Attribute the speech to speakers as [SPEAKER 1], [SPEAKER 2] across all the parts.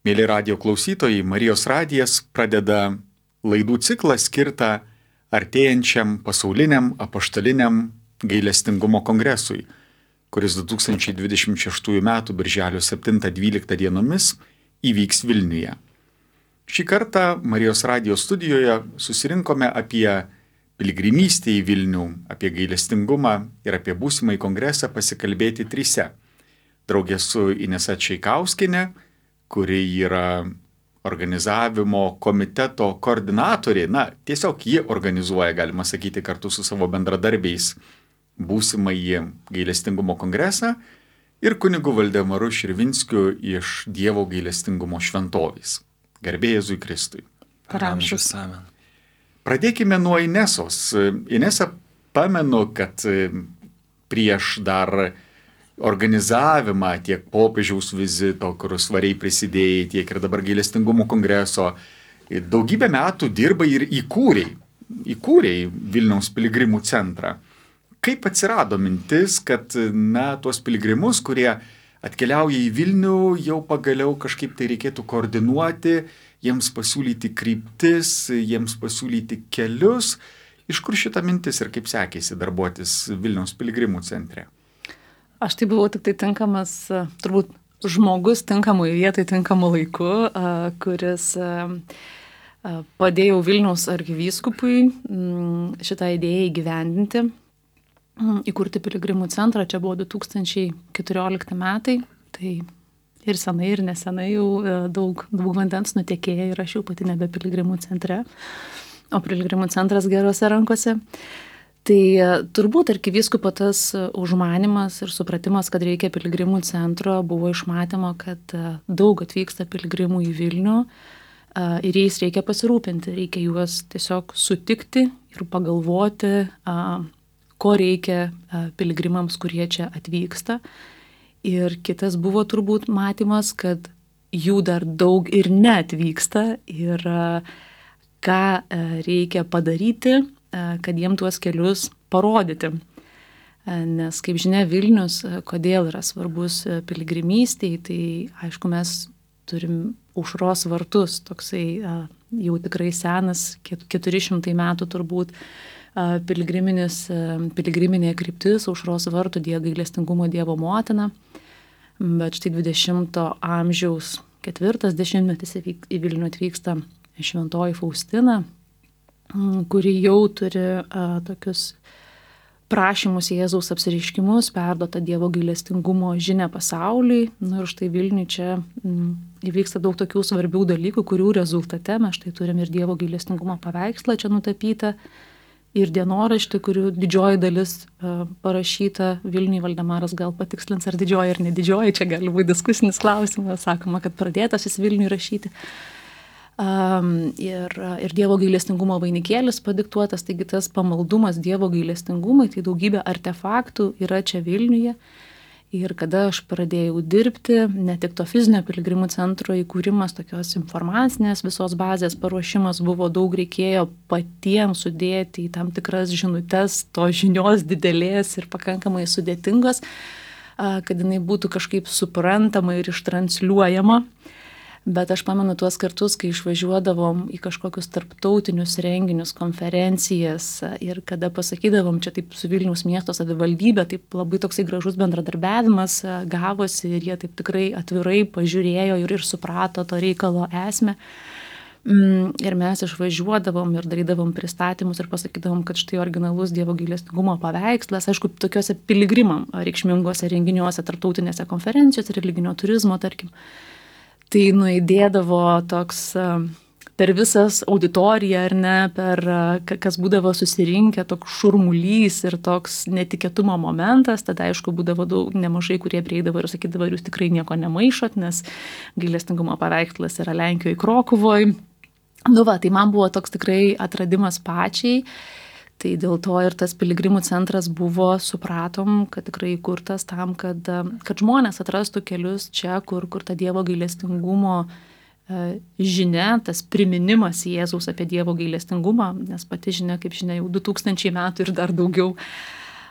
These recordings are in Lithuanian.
[SPEAKER 1] Mėly radijo klausytojai, Marijos radijas pradeda laidų ciklą skirtą artėjančiam pasauliniam apaštaliniam gailestingumo kongresui, kuris 2026 m. birželio 7-12 dienomis įvyks Vilniuje. Šį kartą Marijos radijo studijoje susirinkome apie piligrimystę į Vilnių, apie gailestingumą ir apie būsimąjį kongresą pasikalbėti trise. Draugė su Inesa Čaikauskienė, kuri yra organizavimo komiteto koordinatorė, tiesiog ji organizuoja, galima sakyti, kartu su savo bendradarbiais būsimąjį gailestingumo kongresą, ir kunigu Valdemaru Širvinskiu iš Dievo gailestingumo šventovės. Garbė Jėzui Kristui.
[SPEAKER 2] Per amžius. Amen.
[SPEAKER 1] Pradėkime nuo Inesos. Inesa, pamenu, kad prieš dar organizavimą tiek popiežiaus vizito, kur svariai prisidėjai, tiek ir dabar gailestingumo kongreso, daugybę metų dirbai ir įkūrei Vilniaus piligrimų centrą. Kaip atsirado mintis, kad tuos piligrimus, kurie atkeliauja į Vilnių, jau pagaliau kažkaip tai reikėtų koordinuoti, jiems pasiūlyti kryptis, jiems pasiūlyti kelius? Iš kur šita mintis ir kaip sekėsi darbuotis Vilniaus piligrimų centre?
[SPEAKER 2] Aš tai buvau tik tai tinkamas, turbūt žmogus tinkamui vietai, tinkamu laiku, kuris padėjau Vilniaus arkivyskupui šitą idėją įgyvendinti, įkurti piligrimų centrą. Čia buvo 2014 metai, tai ir senai, ir nesenai jau daug vandens nutekėjo ir aš jau pati nebe piligrimų centre, o piligrimų centras gerose rankose. Tai turbūt arkivyskupo tas užmanimas ir supratimas, kad reikia piligrimų centro, buvo iš matymo, kad daug atvyksta piligrimų į Vilnių ir jais reikia pasirūpinti, reikia juos tiesiog sutikti ir pagalvoti, ko reikia piligrimams, kurie čia atvyksta. Ir kitas buvo turbūt matymas, kad jų dar daug ir neatvyksta ir ką reikia padaryti, kad jiem tuos kelius parodyti. Nes, kaip žinia, Vilnius, kodėl yra svarbus piligrimystėj, tai aišku, mes turim Aušros vartus, toksai jau tikrai senas, 400 metų turbūt, piligriminė kryptis Aušros vartų gailestingumo Dievo motina. Bet štai 20 amžiaus 4 dešimtmetis į Vilnių atvyksta šventoji Faustina, kuri jau turi tokius prašymus Jėzaus apsireiškimus, perduota Dievo gailestingumo žinia pasauliui. Ir štai Vilniui čia įvyksta daug tokių svarbių dalykų, kurių rezultate mes štai turim ir Dievo gailestingumo paveikslą čia nutapytą, ir dienoraštį, kurių didžioji dalis parašyta Vilniui. Valdemaras gal patikslins, ar didžioji ar nedidžioji, čia gali būti diskusinis klausimas, sakoma, kad pradėtas jis Vilniui rašyti. Ir Dievo gailestingumo vainikėlis padiktuotas, taigi tas pamaldumas Dievo gailestingumui, tai daugybė artefaktų yra čia Vilniuje. Ir kada aš pradėjau dirbti, ne tik to fizinio piligrimų centro įkūrimas, tokios informacinės visos bazės paruošimas buvo, daug reikėjo patiems sudėti į tam tikras žinutes, to žinios didelės ir pakankamai sudėtingos, kad jinai būtų kažkaip suprantama ir ištransliuojama. Bet aš pamenu tuos kartus, kai išvažiuodavom į kažkokius tarptautinius renginius, konferencijas ir kada pasakydavom čia taip su Vilniaus miesto savivaldybė, taip labai toksai gražus bendradarbiavimas gavosi ir jie taip tikrai atvirai pažiūrėjo ir suprato to reikalo esmę. Ir mes išvažiuodavom ir darydavom pristatymus ir pasakydavom, kad štai originalus Dievo gailestingumo paveikslas, aišku, tokiuose piligrimam reikšminguose renginiuose, tarptautinėse konferencijose, religinio turizmo, tarkim. Tai nuėdėdavo toks per visas auditoriją, ar ne, per kas būdavo susirinkę, toks šurmulys ir toks netikėtumo momentas. Tada, aišku, būdavo nemažai, kurie prieidavo ir sakydavo, jūs tikrai nieko nemaišot, nes gailestingumo paveikslas yra Lenkijoje, Krokuvoje. Tai man buvo toks tikrai atradimas pačiai. Tai dėl to ir tas piligrimų centras buvo, supratom, kad tikrai įkurtas tam, kad žmonės atrastų kelius čia, kur ta Dievo gailestingumo žinia, tas priminimas Jėzaus apie Dievo gailestingumą, nes pati žinia, kaip žinia, jau 2000 metų ir dar daugiau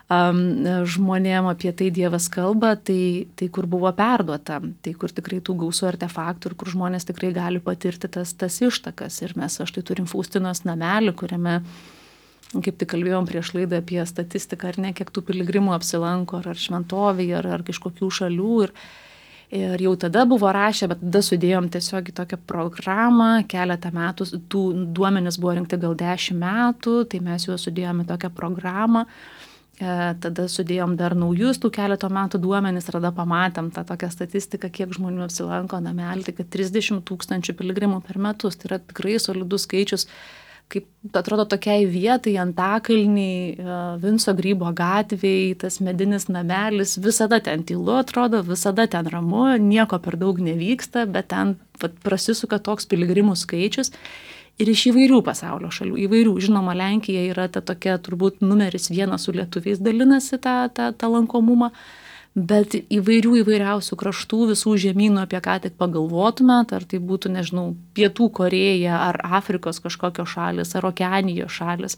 [SPEAKER 2] žmonėm apie tai Dievas kalba, tai kur buvo perduota, tai kur tikrai tų gausų artefaktų ir kur žmonės tikrai gali patirti tas ištakas. Ir mes štai turim Faustinos namelį, kuriame, kaip tik kalbėjom prieš laidą apie statistiką, ar ne, kiek tų piligrimų apsilanko, ar šventovėje, ar kažkokių šalių. Ir jau tada buvo rašę, bet tada sudėjom tiesiog į tokią programą, keletą metų, tų duomenys buvo rinkti gal 10 metų, tai mes juos sudėjom į tokią programą, tada sudėjom dar naujus tų keleto metų duomenys, tada pamatėm tą tokią statistiką, kiek žmonių apsilanko namelį, tai kad 30 000 piligrimų per metus, tai yra tikrai solidus skaičius, kaip atrodo tokiai vietai, Antakalniai, Vinco Grybo gatvėj, tas medinis namelis, visada ten tylu atrodo, visada ten ramu, nieko per daug nevyksta, bet ten prasisuka toks piligrimų skaičius ir iš įvairių pasaulio šalių, įvairių. Žinoma, Lenkija yra ta tokia turbūt numeris 1 su lietuviais dalinasi tą lankomumą, bet įvairiausių kraštų, visų žemynų, apie ką tik pagalvotumėt, ar tai būtų, nežinau, Pietų Korėja, ar Afrikos kažkokios šalis, ar Okeanijos šalis.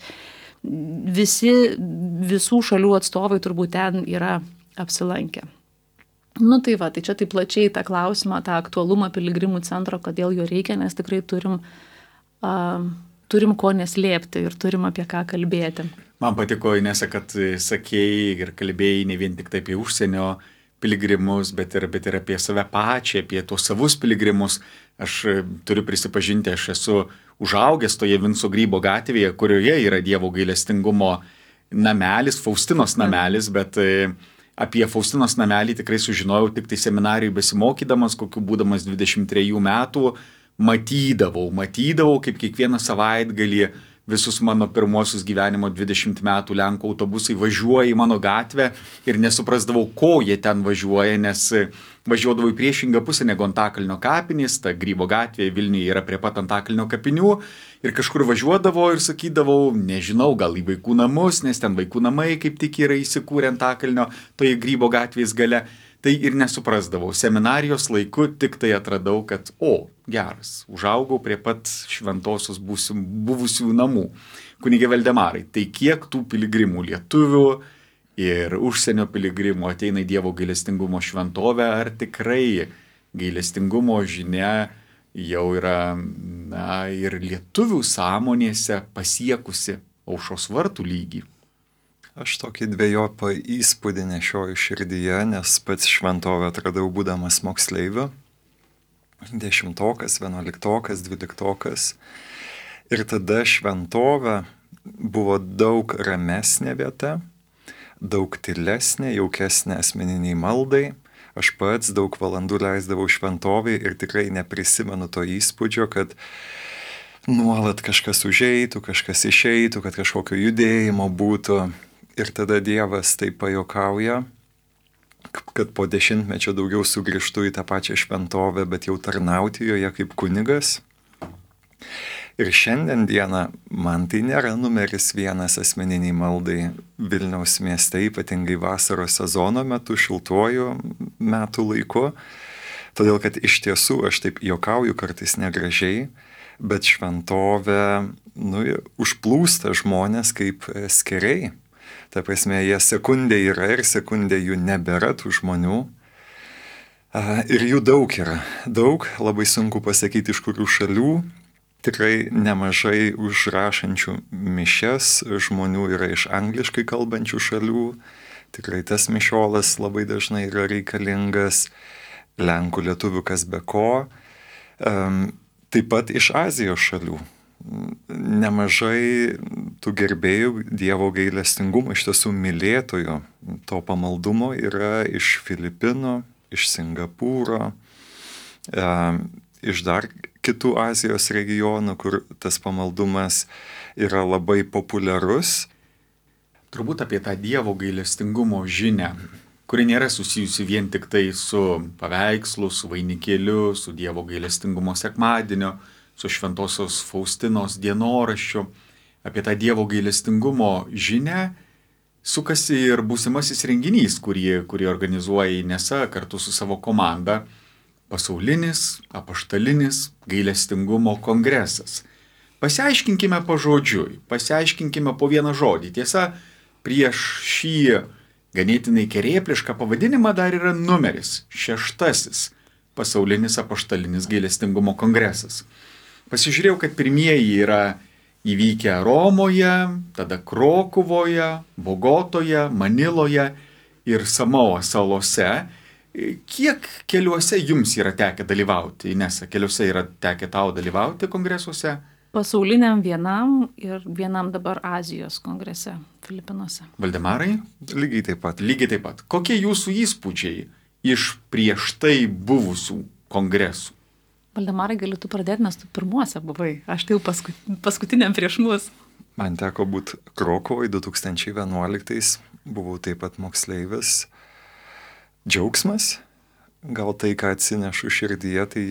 [SPEAKER 2] Visų šalių atstovai turbūt ten yra apsilankę. Nu tai va, tai čia taip plačiai tą klausimą, tą aktualumą piligrimų centro, kodėl jo reikia, nes tikrai turim ko neslėpti ir turim apie ką kalbėti.
[SPEAKER 1] Man patiko, Inesa, kad sakėjai ir kalbėjai ne vien tik tai apie užsienio piligrimus, bet ir apie save pačią, apie tuos savus piligrimus. Aš turiu prisipažinti, aš esu užaugęs toje Vinco Grybo gatvėje, kurioje yra Dievo gailestingumo namelis, Faustinos namelis, bet apie Faustinos namelį tikrai sužinojau tik tai seminarijai besimokydamas, kokiu būdamas 23 metų, matydavau, kaip kiekvieną savaitgalį visus mano pirmosius gyvenimo 20 metų Lenkų autobusai važiuoja į mano gatvę ir nesuprasdavau, ko jie ten važiuoja, nes važiuodavau į priešingą pusę negu Antakalnio kapinės, ta Grybo gatvė Vilniuje yra prie pat Antakalnio kapinių ir kažkur važiuodavau ir sakydavau, nežinau, gal į vaikų namus, nes ten vaikų namai kaip tik yra įsikūrę Antakalnio toje Grybo gatvės gale. Tai ir nesuprasdavau. Seminarijos laiku tik tai atradau, kad, geras, užaugau prie pat šventosios buvusių namų. Kunige Valdemarai, tai kiek tų piligrimų lietuvių ir užsienio piligrimų ateina į Dievo gailestingumo šventovę, ar tikrai gailestingumo žinia jau yra ir lietuvių sąmonėse pasiekusi Aušros vartų lygį?
[SPEAKER 3] Aš tokį dvejopą įspūdį nešioju širdyje, nes pats šventovę atradau būdamas moksleiviu, 10, 11, 12. Ir tada šventovė buvo daug ramesnė vieta, daug tylesnė, jaukesnė asmeniniai maldai. Aš pats daug valandų leisdavau šventovėje ir tikrai neprisimenu to įspūdžio, kad nuolat kažkas užeitų, kažkas išeitų, kad kažkokio judėjimo būtų. Ir tada Dievas taip pajokauja, kad po 10 mečių daugiau sugrįžtų į tą pačią šventovę, bet jau tarnauti joje kaip kunigas. Ir šiandien dieną man tai nėra numeris 1 asmeniniai maldai Vilniaus mieste, ypatingai vasaros sezono metu, šiltuoju metų laiku. Todėl, kad iš tiesų aš taip jokauju kartais negražiai, bet šventovė užplūsta žmonės kaip skeriai. Ta prasme, jie sekundė yra ir sekundė jų nebėra tų žmonių. Ir jų daug yra. Daug, labai sunku pasakyti iš kurių šalių. Tikrai nemažai užrašančių mišias žmonių yra iš angliškai kalbančių šalių. Tikrai tas mišiolas labai dažnai yra reikalingas. Lenkų, lietuvių, kas be ko. Taip pat iš Azijos šalių. Nemažai tų gerbėjų Dievo gailestingumo, iš tiesų mylėtojų to pamaldumo yra iš Filipinų, iš Singapūro, iš dar kitų Azijos regionų, kur tas pamaldumas yra labai populiarus.
[SPEAKER 1] Turbūt apie tą Dievo gailestingumo žinią, kuri nėra susijusi vien tik tai su paveikslu, su vainikėliu, su Dievo gailestingumo sekmadieniu, su Šventosios Faustinos dienoraščiu. Apie tą Dievo gailestingumo žinią sukasi ir būsimasis renginys, kurį organizuoja Inesa kartu su savo komanda, pasaulinis apaštalinis gailestingumo kongresas. Pasiaiškinkime pažodžiui, pasiaiškinkime po vieną žodį. Tiesa, prieš šį ganėtinai kerėplišką pavadinimą dar yra numeris 6 pasaulinis apaštalinis gailestingumo kongresas. Pasižiūrėjau, kad pirmieji yra įvykę Romoje, tada Krokuvoje, Bogotoje, Maniloje ir Samoa salose. Kiek keliuose jums yra tekę dalyvauti? Inesa, keliuose yra tekę tau dalyvauti kongresuose?
[SPEAKER 2] Pasauliniam vienam ir vienam dabar Azijos kongrese Filipinuose.
[SPEAKER 1] Valdemarai?
[SPEAKER 3] Lygiai taip pat.
[SPEAKER 1] Lygiai taip pat. Kokie jūsų įspūdžiai iš prieš tai buvusių kongresų?
[SPEAKER 2] Valdemarai, gali tu pradėti, nes tu pirmuose buvai. Aš tai jau paskutiniam prieš mus.
[SPEAKER 3] Man teko būti Krokovai 2011, buvau taip pat moksleivis. Džiaugsmas, gal tai, ką atsinešu širdyje, tai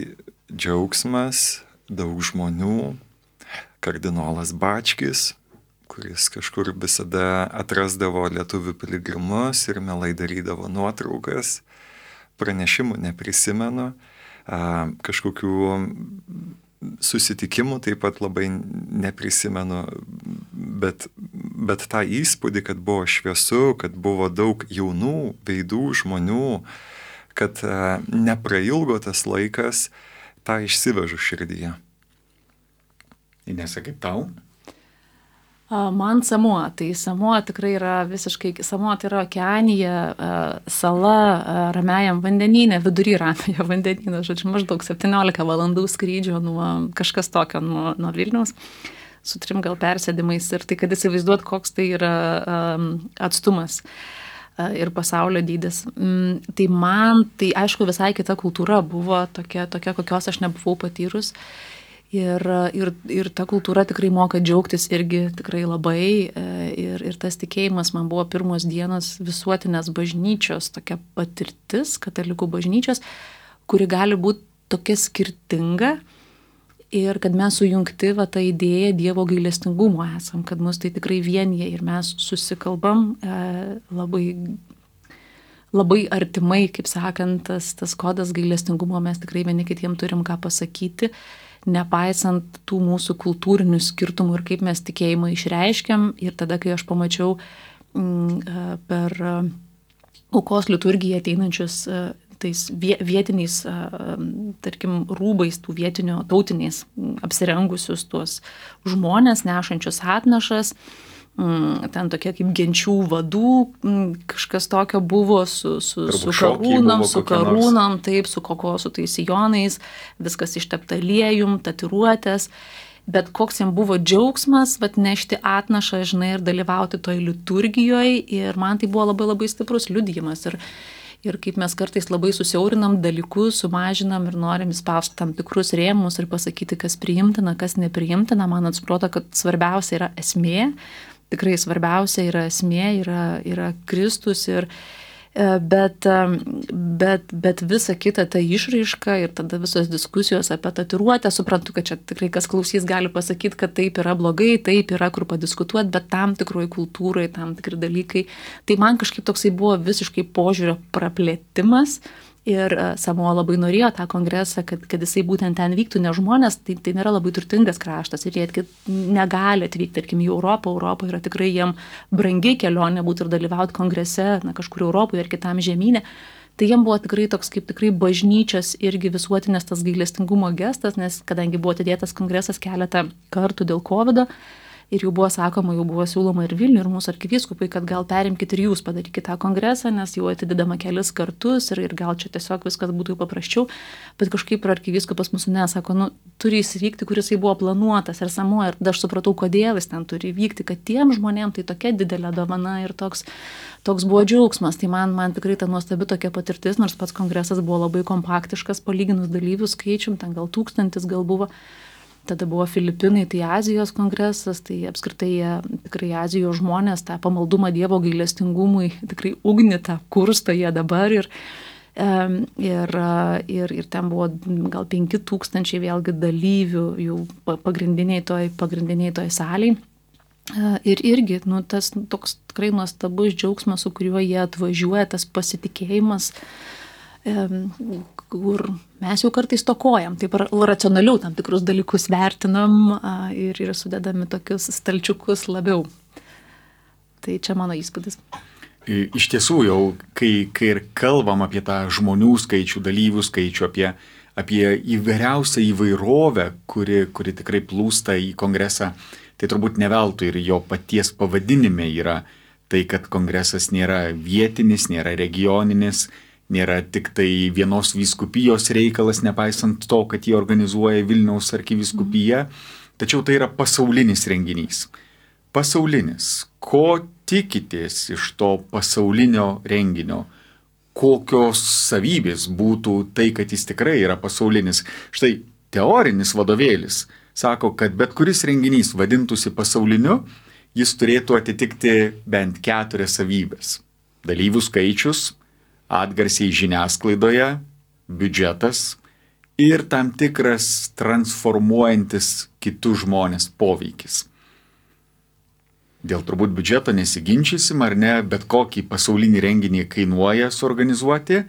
[SPEAKER 3] džiaugsmas, daug žmonių, kardinolas Bačkis, kuris kažkur visada atrasdavo lietuvių piligrimus ir mielai darydavo nuotraukas, pranešimų neprisimenu, kažkokių susitikimų taip pat labai neprisimenu, bet tą įspūdį, kad buvo šviesu, kad buvo daug jaunų veidų žmonių, kad neprailgo tas laikas, tą išsivežu širdyje.
[SPEAKER 1] Inesa, kaip tau?
[SPEAKER 2] Man Samoa. Tai Samoa tikrai yra visiškai, Samoa tai yra okeanija, sala Ramiajam vandenyne, vidury Ramiojo vandenyno, žodžiu, maždaug 17 valandų skrydžio nuo kažkas tokio nuo Vilniaus, su 3 gal persėdimais ir tai, kad įsivaizduot, koks tai yra atstumas ir pasaulio dydis. Tai man, tai aišku, visai kita kultūra buvo tokia kokios aš nebuvau patyrus. Ir ta kultūra tikrai moka džiaugtis irgi tikrai labai. Ir tas tikėjimas man buvo pirmos dienos visuotinės bažnyčios tokia patirtis, katalikų bažnyčios, kuri gali būti tokia skirtinga. Ir kad mes sujungti tą idėją Dievo gailestingumo esam, kad mus tai tikrai vienyje ir mes susikalbam labai, labai artimai, kaip sakant, tas kodas gailestingumo mes tikrai vieni kitiem turim ką pasakyti, nepaisant tų mūsų kultūrinių skirtumų ir kaip mes tikėjimą išreiškiam. Ir tada, kai aš pamačiau per aukos liturgiją ateinančius tais vietiniais, tarkim, rūbais, tų vietinio tautiniais apsirengusius tuos žmonės, nešančius atnašas, ten tokie kaip genčių vadų, kažkas tokio buvo su karūnom, taip, su kokosų tais sijonais, viskas ištepta aliejum, tatuiruotės, bet koks jam buvo džiaugsmas, nešti atnašą, žinai, ir dalyvauti toj liturgijoje, ir man tai buvo labai labai stiprus liudijimas. Ir kaip mes kartais labai susiaurinam dalykus, sumažinam ir norim įspausti tam tikrus rėmus ir pasakyti, kas priimtina, kas nepriimtina, man atrodo, kad svarbiausia yra esmė. Tikrai svarbiausia yra esmė, yra Kristus, bet visa kita ta išraiška ir tada visos diskusijos apie tatuiruotę, suprantu, kad čia tikrai kas klausys gali pasakyti, kad taip yra blogai, taip yra kur padiskutuoti, bet tam tikroj kultūrai, tam tikri dalykai. Tai man kažkaip toksai buvo visiškai požiūrio praplėtimas. Ir Samoa labai norėjo tą kongresą, kad jisai būtent ten vyktų, nes žmonės, tai nėra labai turtingas kraštas ir jie negali atvykti, tarkim, į Europą. Europa yra tikrai jiem brangi kelionė būti ir dalyvauti kongrese, kažkur Europoje ir kitam žemynė. Tai jiem buvo tikrai toks kaip tikrai bažnyčios irgi visuotinės tas gailestingumo gestas, nes kadangi buvo atidėtas kongresas keletą kartų dėl COVID-o, ir jau buvo sakoma, jau buvo siūloma ir Vilniui, ir mūsų arkivyskupai, kad gal perimkite ir jūs padarykite tą kongresą, nes jau atidedama kelis kartus ir gal čia tiesiog viskas būtų jau paprasčiau. Bet kažkaip ir arkivyskupas mūsų nesako, turi įsivykti, kuris jau buvo planuotas ir Samoa. Ir aš supratau, kodėl jis ten turi vykti, kad tiem žmonėm tai tokia didelė dovana ir toks buvo džiaugsmas. Tai man tikrai ta nuostabi tokia patirtis, nors pats kongresas buvo labai kompaktiškas, palyginus dalyvių skaičium, ten gal 1000 gal buvo. Tada buvo Filipinai, tai Azijos kongresas, tai apskritai tikrai Azijos žmonės tą pamaldumą Dievo gailestingumui tikrai ugnį tą kursto jie dabar ir ten buvo gal 5000 vėlgi dalyvių jau pagrindiniai toj salėj. Ir irgi, tas toks tikrai nuostabus džiaugsmas, su kuriuo jie atvažiuoja, tas pasitikėjimas, kur mes jau kartais stokojam, taip racionaliau tam tikrus dalykus vertinam ir sudedami tokius stalčiukus labiau. Tai čia mano įspūdis.
[SPEAKER 1] Iš tiesų jau, kai ir kalbam apie tą žmonių skaičių, dalyvių skaičių, apie įvairiausią įvairovę, kuri tikrai plūsta į kongresą, tai turbūt ne veltui ir jo paties pavadinime yra tai, kad kongresas nėra vietinis, nėra regioninis, nėra tik tai vienos vyskupijos reikalas, nepaisant to, kad jį organizuoja Vilniaus arkivyskupija, tačiau tai yra pasaulinis renginys. Pasaulinis. Ko tikitės iš to pasaulinio renginio? Kokios savybės būtų tai, kad jis tikrai yra pasaulinis? Štai teorinis vadovėlis sako, kad bet kuris renginys vadintųsi pasauliniu, jis turėtų atitikti bent 4 savybės. Dalyvių skaičius, atgarsiai žiniasklaidoje, biudžetas ir tam tikras transformuojantis kitus žmonės poveikis. Dėl turbūt biudžeto nesiginčysim ar ne, bet kokį pasaulinį renginį kainuoja suorganizuoti.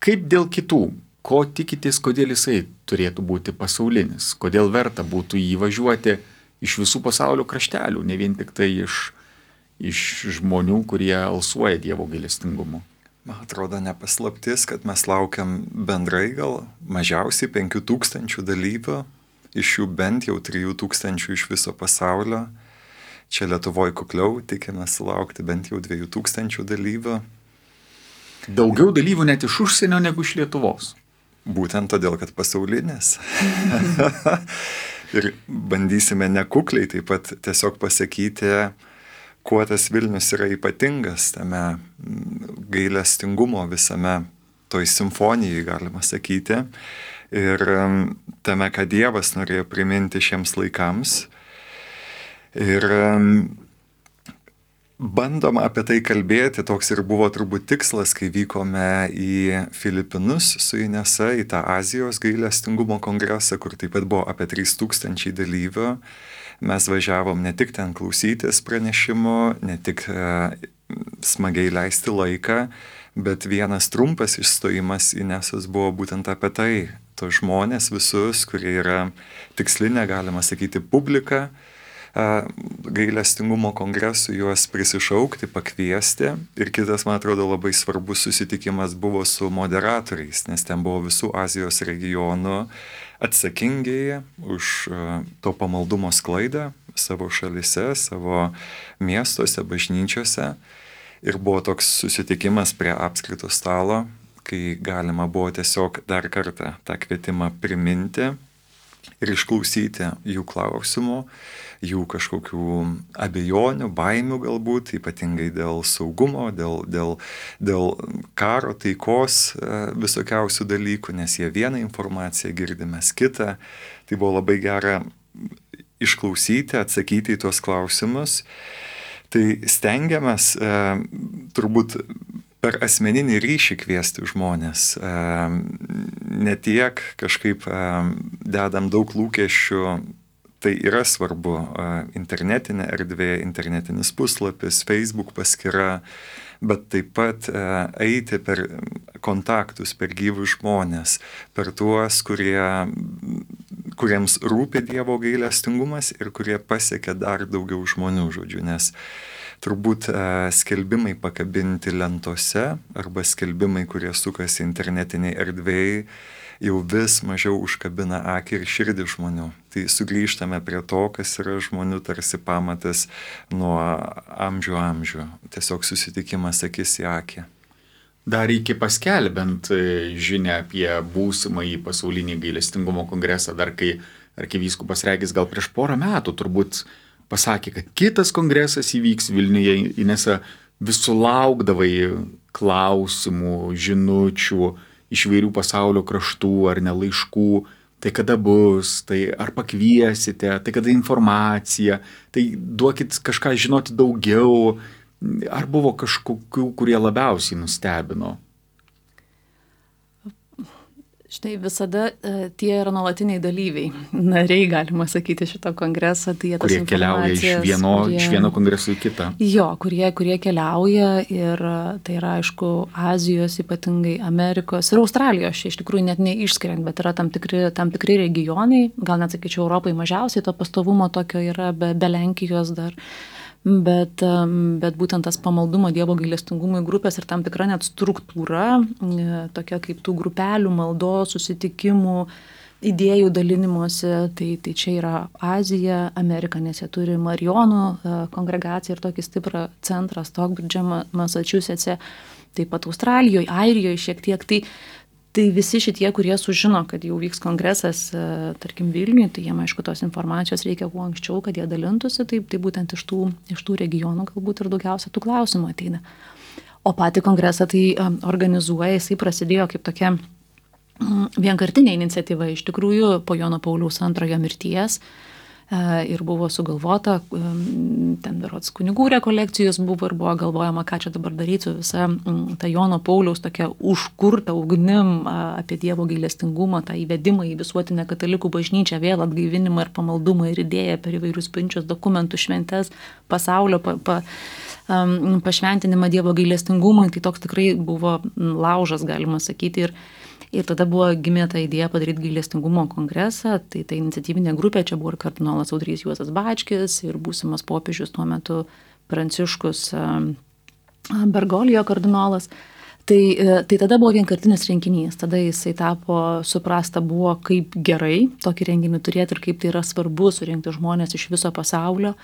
[SPEAKER 1] Kaip dėl kitų? Ko tikitės, kodėl jisai turėtų būti pasaulinis? Kodėl verta būtų jį važiuoti iš visų pasaulio kraštelių, ne vien tik tai iš žmonių, kurie alsuoja Dievo gailestingumu?
[SPEAKER 3] Man atrodo nepaslaptis, kad mes laukiam bendrai gal mažiausiai 5000 dalyvių, iš jų bent jau 3000 iš viso pasaulio. Čia Lietuvoje kukliau, tikimės sulaukti bent jau 2000 dalyvių.
[SPEAKER 1] Daugiau dalyvių net iš užsienio negu iš Lietuvos.
[SPEAKER 3] Būtent todėl, kad pasaulinis. Ir bandysime nekukliai taip pat tiesiog pasakyti, kuo tas Vilnius yra ypatingas tame gailestingumo visame toj simfonijai, galima sakyti. Ir tame, ką Dievas norėjo priminti šiems laikams. Ir bandoma apie tai kalbėti, toks ir buvo turbūt tikslas, kai vykome į Filipinus su Inesa, į tą Azijos gailestingumo kongresą, kur taip pat buvo apie 3000 dalyvių. Mes važiavom ne tik ten klausytis pranešimų, ne tik smagiai leisti laiką, bet vienas trumpas išstojimas Inesos buvo būtent apie tai. To žmonės visus, kurie yra tikslinė, galima sakyti, publika, gailestingumo kongresų juos prisišaukti, pakviesti. Ir kitas, man atrodo, labai svarbus susitikimas buvo su moderatoriais, nes ten buvo visų Azijos regionų atsakingiai už to pamaldumo sklaidą savo šalyse, savo miestuose, bažnyčiose. Ir buvo toks susitikimas prie apskrito stalo, kai galima buvo tiesiog dar kartą tą kvietimą priminti ir išklausyti jų klausimų, jų kažkokių abejonių, baimių galbūt, ypatingai dėl saugumo, dėl karo, taikos visokiausių dalykų, nes jie vieną informaciją girdi, mes kitą. Tai buvo labai gera išklausyti, atsakyti į tuos klausimus. Tai stengiamės turbūt per asmeninį ryšį kviesti žmonės. Ne tiek kažkaip dedam daug lūkesčių, tai yra svarbu, internetinė erdvė, internetinis puslapis, Facebook paskyra, bet taip pat eiti per kontaktus, per gyvus žmonės, per tuos, kuriems rūpi Dievo gailestingumas ir kurie pasiekia dar daugiau žmonių, žodžiu, nes turbūt skelbimai pakabinti lentose arba skelbimai, kurie sukasi internetiniai erdvėjai, jau vis mažiau užkabina akį ir širdį žmonių. Tai sugrįžtame prie to, kas yra žmonių tarsi pamatas nuo amžių. Tiesiog susitikimas akis į akį.
[SPEAKER 1] Dar iki paskelbent žinią apie būsimąjį pasaulinį gailestingumo kongresą, dar kai arkivyskupas Regis gal prieš 4 metų turbūt pasakė, kad kitas kongresas įvyks Vilniuje, Inesa, vis sulaukdavai klausimų, žinučių iš vairių pasaulio kraštų ar ne laiškų, tai kada bus, tai ar pakviesite, tai kada informacija, tai duokit kažką žinoti daugiau, ar buvo kažkokių, kurie labiausiai nustebino?
[SPEAKER 2] Štai visada tie yra nuolatiniai dalyviai, nariai, galima sakyti, šito kongreso. Tai
[SPEAKER 1] kurie keliauja iš vieno kongreso į kitą.
[SPEAKER 2] Jo, kurie keliauja ir tai yra, aišku, Azijos, ypatingai Amerikos ir Australijos, iš tikrųjų net neišskiriant, bet yra tam tikri regionai, gal net sakyčiau, Europai mažiausiai to pastovumo tokio yra, be Lenkijos dar. bet būtent tas pamaldumo Dievo gailestingumui grupės ir tam tikra net struktūra, tokia kaip tų grupelių, maldos, susitikimų, idėjų dalinimuose, tai čia yra Azija, Amerika, nes jie turi Marijonų kongregaciją ir tokį stiprą centrą Stockbridge, Massachusetts'e, taip pat Australijoje, Airijoje šiek tiek. Tai visi šitie, kurie sužino, kad jau vyks kongresas, tarkim, Vilniuje, tai jiem, aišku, tos informacijos reikia kuo anksčiau, kad jie dalintųsi, tai būtent iš tų regionų galbūt ir daugiausia tų klausimų ateina. O patį kongresą tai organizuoja, jisai prasidėjo kaip tokia vienkartinė iniciatyva iš tikrųjų po Jono Pauliaus II mirties ir buvo sugalvota, ten berods kunigų rekolekcijos buvo ir buvo galvojama, ką čia dabar daryti su visa ta Jono Pauliaus tokia užkurta ugnim apie Dievo gailestingumą, tą įvedimą į visuotinę katalikų bažnyčią, vėl atgaivinimą ir pamaldumą ir idėją per įvairius pinčius dokumentų šventes, pasaulio pašventinimą Dievo gailestingumui, tai toks tikrai buvo laužas, galima sakyti. Ir tada buvo gimė ta idėja padaryti gailestingumo kongresą, tai ta iniciatyvinė grupė, čia buvo ir kardinolas Audrys Juozas Bačkis ir būsimas popiežius tuo metu Pranciškus Bergolijo kardinolas. Tai tada buvo vienkartinis renginys, tada jisai tapo, suprasta buvo, kaip gerai tokį renginį turėti ir kaip tai yra svarbu surinkti žmonės iš viso pasaulio,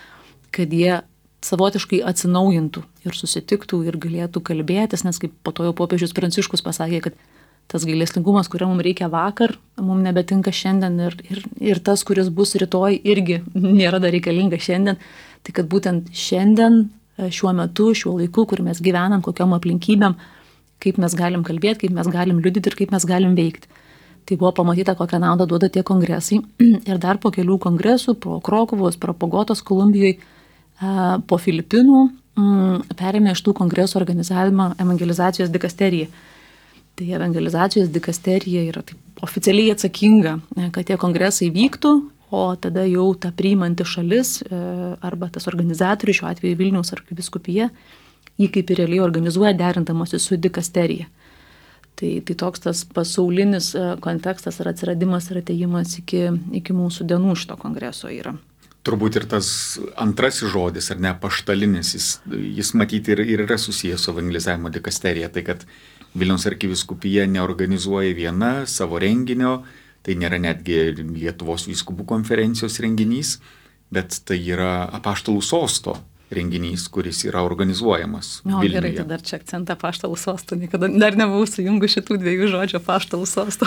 [SPEAKER 2] kad jie savotiškai atsinaujintų ir susitiktų ir galėtų kalbėtis, nes kaip po to jau popiežius Pranciškus pasakė, kad tas gailestingumas, kurio mums reikia vakar, mums nebetinka šiandien ir tas, kuris bus rytoj, irgi nėra dar reikalinga šiandien. Tai kad būtent šiandien, šiuo metu, šiuo laiku, kur mes gyvenam, kokiom aplinkybėm, kaip mes galim kalbėti, kaip mes galim liudyti ir kaip mes galim veikti. Tai buvo pamatyta, kokią naudą duoda tie kongresai. Ir dar po kelių kongresų, po Krokuvos, po Bogotos, Kolumbijoje, po Filipinų, perėmė iš tų kongresų organizavimą evangelizacijos dikasterija. Tai evangelizacijos dikasterija yra taip oficialiai atsakinga, kad tie kongresai vyktų, o tada jau ta priimanti šalis arba tas organizatorius, šiuo atveju Vilniaus arkivyskupija, jį kaip ir realiai organizuoja derindamasi su dikasterija. Tai toks tas pasaulinis kontekstas ir atsiradimas ir atėjimas iki mūsų dienų šito kongreso yra.
[SPEAKER 1] Turbūt ir tas antrasis žodis, ar ne, apaštalinis, jis matyti ir yra susijęs su evangelizavimo dikasterija, tai kad Vilniaus arkivyskupija neorganizuoja viena savo renginio, tai nėra netgi Lietuvos vyskupų konferencijos renginys, bet tai yra apaštalų sosto renginys, kuris yra organizuojamas Vilniuje.
[SPEAKER 2] Gerai, tai dar čia akcentą apaštalų sosto, niekada dar nebuvau sujungus šitų dviejų žodžių apaštalų sosto.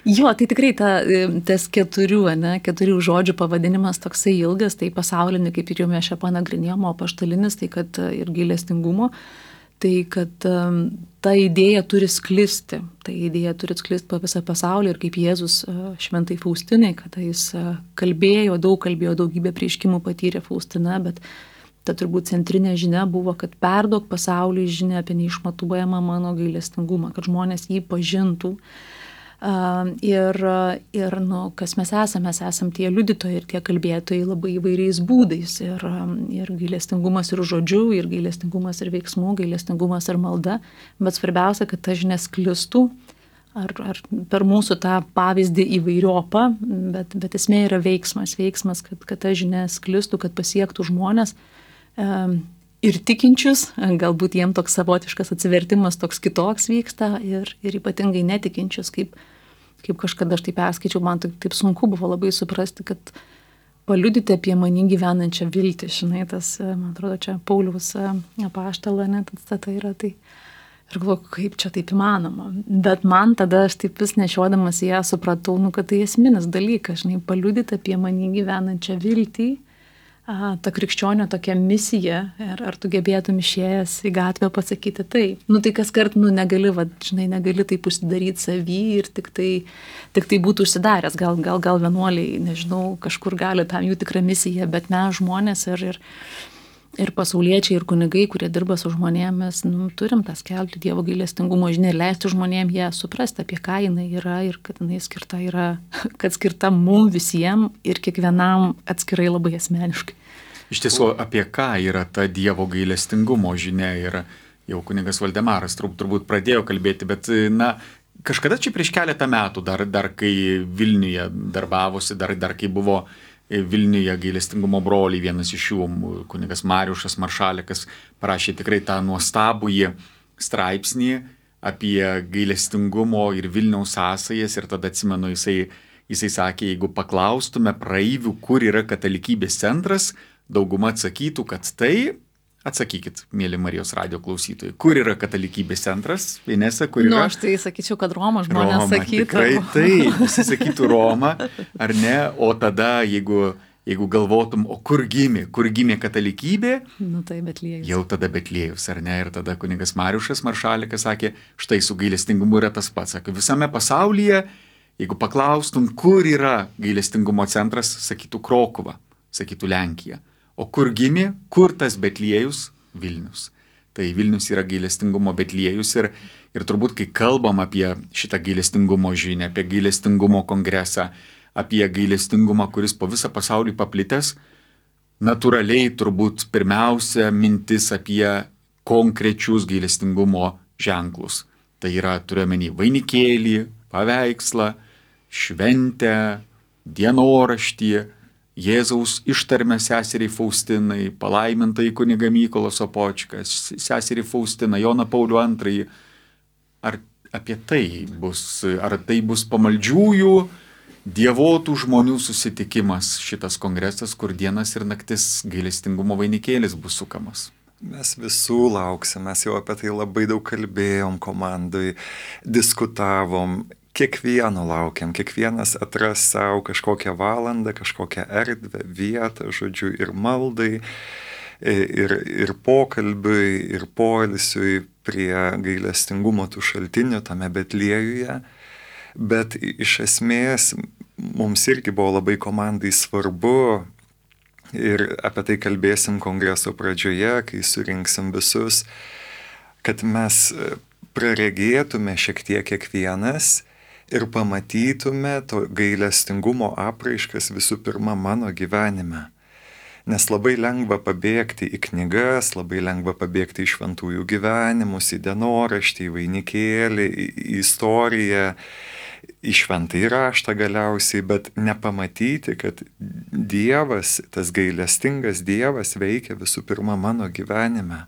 [SPEAKER 2] Jo, tai tikrai tas keturių žodžių pavadinimas toksai ilgas, tai pasaulinį, kaip ir jau mes čia panagrinėjom, apaštalinis, tai kad ir gailestingumo, tai kad ta idėja turi sklisti, po visą pasaulį ir kaip Jėzus šventai Faustinai, kad jis daug kalbėjo, daugybę prieškimų patyrė Faustina, bet ta turbūt centrinė žinia buvo, kad perduok pasauliui žinią apie neišmatuojamą mano gailestingumą, kad žmonės jį pažintų. Ir kas mes esam tie liudytojai ir tie kalbėtojai labai įvairiais būdais ir gailestingumas ir žodžiu, ir gailestingumas ir veiksmu, gailestingumas ir malda, bet svarbiausia, kad ta žinia sklistų ar per mūsų tą pavyzdį įvairiopą, bet esmė yra veiksmas, kad ta žinia sklistų, kad pasiektų žmonės ir tikinčius, galbūt jiem toks savotiškas atsivertimas toks kitoks vyksta ir ypatingai netikinčius, kaip kažkada aš tai perskaičiau, man taip sunku buvo labai suprasti, kad paliudyti apie manį gyvenančią viltį, žinai, tas, man atrodo, čia Pauliaus apaštalo, tai yra tai. Ir galvoju, kaip čia taip įmanoma. Bet man tada aš taip vis nešiodamas ją supratau, kad tai esminis dalykas, žinai, paliudyti apie manį gyvenančią viltį, ta krikščionio tokia misija, ar tu gebėtum išėjęs į gatvę pasakyti taip. Tai kas kart, negali taip užsidaryti savį ir tik tai būtų užsidaręs. Gal vienuoliai, nežinau, kažkur gali tam jų tikrą misiją, bet mes žmonės ir pasauliečiai, ir kunigai, kurie dirba su žmonėmis, turim tą skelbti Dievo gailestingumo žinią ir leisti žmonėms ją suprasti, apie ką jinai yra ir kad jinai skirta mum visiems ir kiekvienam atskirai labai asmeniškai.
[SPEAKER 1] Iš tiesų, apie ką yra ta Dievo gailestingumo žinia ir jau kunigas Valdemaras turbūt pradėjo kalbėti, bet kažkada čia prieš keletą metų, dar kai Vilniuje darbavosi, dar kai buvo Vilniuje gailestingumo broliai, vienas iš jų, kunigas Mariušas Maršalikas, parašė tikrai tą nuostabųjį straipsnį apie gailestingumo ir Vilniaus sąsajas ir tada atsimenu, jisai sakė, jeigu paklaustume praeivių, kur yra katalikybės centras, dauguma atsakytų, kad tai, atsakykit, mėly Marijos radijo klausytojai, kur yra katalikybės centras, Inesa, kur yra?
[SPEAKER 2] Aš tai sakyčiau, kad Roma žmonės sakytų.
[SPEAKER 1] Tikrai tai, visi sakytų Roma, ar ne, o tada, jeigu galvotum, o kur gimė katalikybė,
[SPEAKER 2] Tai Betliejus.
[SPEAKER 1] Jau tada Betliejus, ar ne, ir tada kunigas Mariušas Maršalikas sakė, štai su gailestingumu yra tas pats, sakė, visame pasaulyje, jeigu paklaustum, kur yra gailestingumo centras, sakytų Krokuva, sakytų Lenkija. O kur gimė, kur tas Betliejus? Vilnius. Tai Vilnius yra gailestingumo Betliejus ir turbūt, kai kalbam apie šitą gailestingumo žinią, apie gailestingumo kongresą, apie gailestingumą, kuris po visą pasaulį paplitęs, natūraliai turbūt pirmiausia mintis apie konkrečius gailestingumo ženklus. Tai yra, turiuomenį, vainikėlį, paveikslą, šventę, dienoraštį, Jėzaus ištarmę seseriai Faustinai, palaimintai kunigą Mykolą Sopočką, seseriai Faustiną, Joną Paulių II. Ar apie tai bus pamaldžiųjų, dievotų žmonių susitikimas šitas kongresas, kur dienas ir naktis gailestingumo vainikėlis bus sukamas?
[SPEAKER 3] Mes visų lauksim, mes jau apie tai labai daug kalbėjom komandai, diskutavom. Kiekvieno laukiam, kiekvienas atras savo kažkokią valandą, kažkokią erdvę, vietą, žodžiu, ir maldai, ir pokalbiui, ir poilsiui prie gailestingumo tų šaltinių tame Betliejuje. Bet iš esmės mums irgi buvo labai komandai svarbu, ir apie tai kalbėsim kongreso pradžioje, kai surinksim visus, kad mes praregėtume šiek tiek kiekvienas, ir pamatytume to gailestingumo apraiškas visų pirma mano gyvenime. Nes labai lengva pabėgti į knygas, labai lengva pabėgti į šventųjų gyvenimus, į dienoraštį, į vainikėlį, į istoriją, į šventąjį raštą galiausiai, bet nepamatyti, kad Dievas, tas gailestingas Dievas veikia visų pirma mano gyvenime.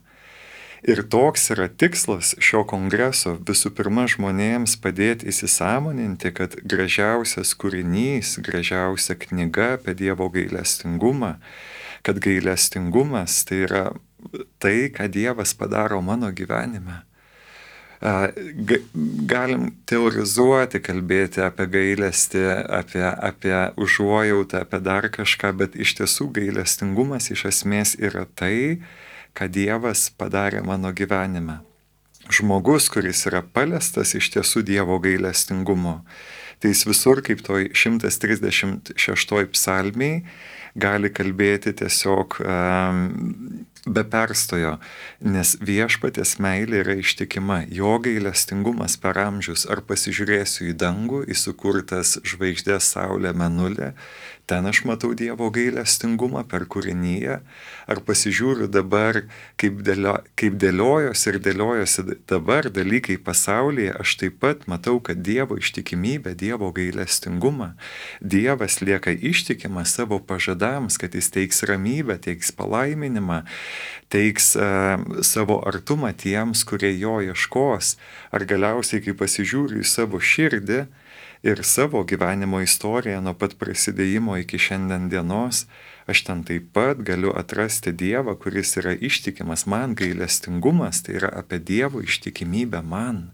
[SPEAKER 3] Ir toks yra tikslas šio kongreso visų pirma žmonėms padėti įsisąmoninti, kad gražiausias kūrinys, gražiausia knyga apie Dievo gailestingumą, kad gailestingumas tai yra tai, ką Dievas padaro mano gyvenime. Galim teorizuoti, kalbėti apie gailestį, apie užuojautą, apie dar kažką, bet iš tiesų gailestingumas iš esmės yra tai, ką Dievas padarė mano gyvenime. Žmogus, kuris yra paliestas iš tiesų Dievo gailestingumo, tai jis visur, kaip toj 136 psalmiai, gali kalbėti tiesiog be perstojo, nes viešpaties meilė yra ištikima, jo gailestingumas per amžius. Ar pasižiūrėsiu į dangų, į sukurtas žvaigždės, saulę, mėnulį, ten aš matau Dievo gailestingumą per kūrinyje, ar pasižiūriu dabar, kaip dėliojosi dabar dalykai pasaulyje, aš taip pat matau, kad Dievo ištikimybė, Dievo gailestingumą, Dievas lieka ištikimas savo pažadams, kad jis teiks ramybę, teiks palaiminimą, teiks savo artumą tiems, kurie jo ieškos, ar galiausiai, kai pasižiūriu į savo širdį, ir savo gyvenimo istoriją nuo pat prasidėjimo iki šiandien dienos, aš ten taip pat galiu atrasti Dievą, kuris yra ištikimas man. Gailestingumas tai yra apie Dievo ištikimybę man.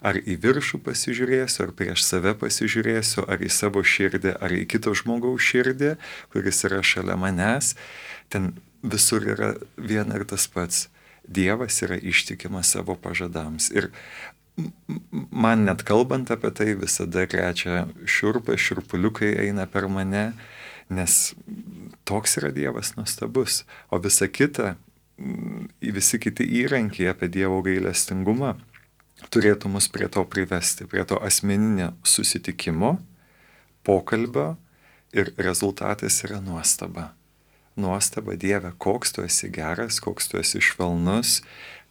[SPEAKER 3] Ar į viršų pasižiūrėsiu, ar prieš save pasižiūrėsiu, ar į savo širdį, ar į kito žmogaus širdį, kuris yra šalia manęs, ten visur yra viena ir tas pats. Dievas yra ištikimas savo pažadams. Ir man net kalbant apie tai visada krečia šiurpuliukai eina per mane, nes toks yra Dievas nuostabus. O visa kita, visi kiti įrankiai apie Dievo gailestingumą turėtų mus prie to privesti, prie to asmeninio susitikimo, pokalbio, ir rezultatas yra nuostaba. Nuostaba, Dieve, koks tu esi geras, koks tu esi švelnus,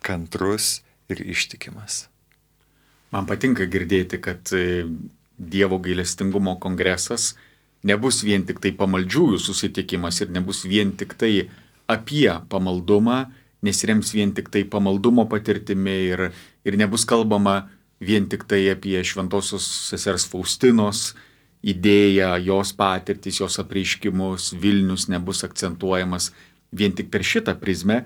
[SPEAKER 3] kantrus ir ištikimas.
[SPEAKER 1] Man patinka girdėti, kad Dievo gailestingumo kongresas nebus vien tik tai pamaldžiųjų susitikimas ir nebus vien tik tai apie pamaldumą, nesirems vien tik tai pamaldumo patirtimi ir nebus kalbama vien tik tai apie šventosios sesers Faustinos idėją, jos patirtis, jos apreiškimus, Vilnius nebus akcentuojamas vien tik per šitą prizmę,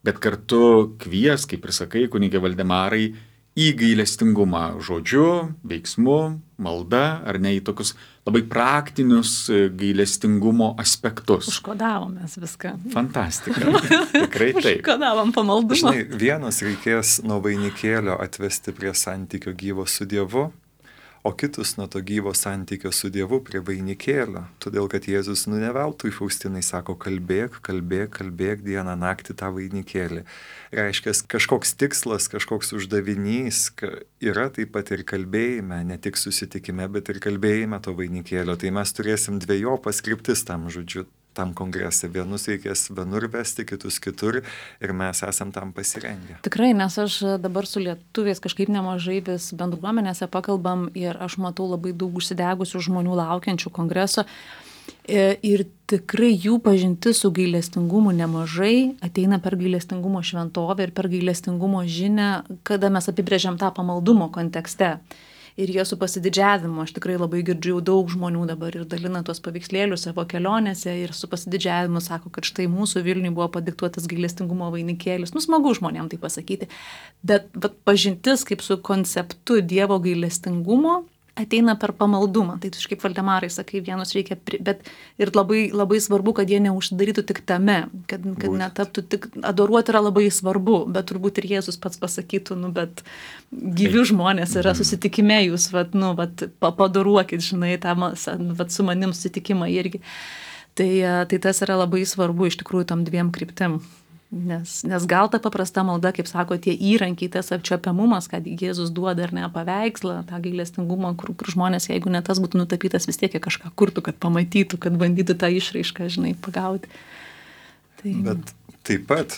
[SPEAKER 1] bet kartu kvies, kaip ir sakai, kunige Valdemarai, į gailestingumą žodžiu, veiksmu, malda, ar ne, į tokius labai praktinius gailestingumo aspektus.
[SPEAKER 2] Užkodavom mes viską.
[SPEAKER 1] Fantastika. Tikrai taip.
[SPEAKER 2] Užkodavom pamaldumą.
[SPEAKER 3] Žinai, vienus reikės nuo vainikėlio atvesti prie santykio gyvo su Dievu, o kitus nuo to gyvo santykio su Dievu prie vainikėlio. Todėl, kad Jėzus ne veltui Faustinai sako, kalbėk dieną naktį tą vainikėlį. Reiškia, kažkoks tikslas, kažkoks uždavinys yra taip pat ir kalbėjime, ne tik susitikime, bet ir kalbėjime to vainikėlio. Tai mes turėsim dvejopas kryptis tam žodžiu, tam kongrese. Vienus reikės vienur vesti, kitus kitur ir mes esam tam pasirengę.
[SPEAKER 2] Tikrai, nes aš dabar su lietuviais kažkaip nemažai vis bendruomenėse pakalbam ir aš matau labai daug užsidegusių žmonių laukiančių kongreso ir tikrai jų pažintis su gailestingumu nemažai ateina per gailestingumo šventovę ir per gailestingumo žinią, kada mes apibrėžiam tą pamaldumo kontekste. Ir jie su pasididžiavimu, aš tikrai labai girdžiu daug žmonių dabar ir dalina tuos paveikslėlius savo kelionėse ir su pasididžiavimu sako, kad štai mūsų Vilniui buvo padiktuotas gailestingumo vainikėlis. Smagu žmonėm tai pasakyti. Bet pažintis kaip su konceptu Dievo gailestingumo ateina per pamaldumą. Tai tu kaip Valdemarai sakai, vienus reikia, bet ir labai, labai svarbu, kad jie neužsidarytų tik tame, kad netaptų tik, adoruoti yra labai svarbu, bet turbūt ir Jėzus pats pasakytų, bet gyvi žmonės yra susitikime, jūs, padoruokit, žinai, su manim susitikimą irgi. Tai tas yra labai svarbu iš tikrųjų tam dviem kryptim. Nes gal ta paprasta malda, kaip sako, tie įrankiai, tas apčiopiamumas, kad Jėzus duoda ar ne paveikslą, tą gailestingumą, kur žmonės, jeigu ne tas būtų nutapytas, vis tiek kažką kurtų, kad pamatytų, kad bandytų tą išraišką, žinai, pagauti.
[SPEAKER 3] Bet taip pat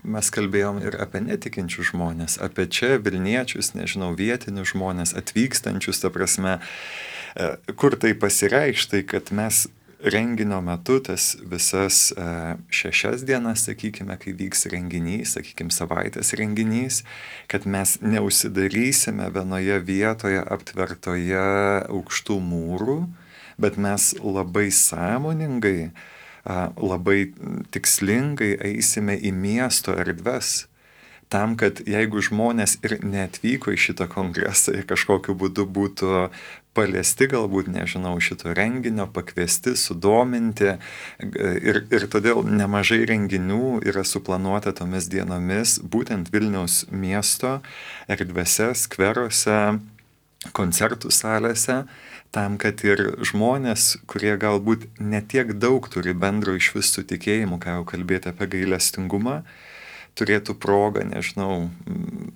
[SPEAKER 3] mes kalbėjom ir apie netikinčius žmonės, apie čia Vilniečius, nežinau, vietinius žmonės, atvykstančius, ta prasme, kur tai pasireikš, tai kad mes renginio metu tas visas 6 dienas, sakykime, kai vyks renginys, sakykime, savaitės renginys, kad mes neužsidarysime vienoje vietoje aptvertoje aukštų mūrų, bet mes labai sąmoningai, labai tikslingai eisime į miesto erdves. Tam, kad jeigu žmonės ir neatvyko į šitą kongresą ir kažkokiu būdu būtų paliesti, galbūt, nežinau, šito renginio, pakviesti, sudominti ir todėl nemažai renginių yra suplanuota tomis dienomis būtent Vilniaus miesto erdvėse, skveruose, koncertų salėse, tam, kad ir žmonės, kurie galbūt netiek daug turi bendro iš visų tikėjimų, ką jau kalbėti apie gailestingumą, turėtų progą, nežinau,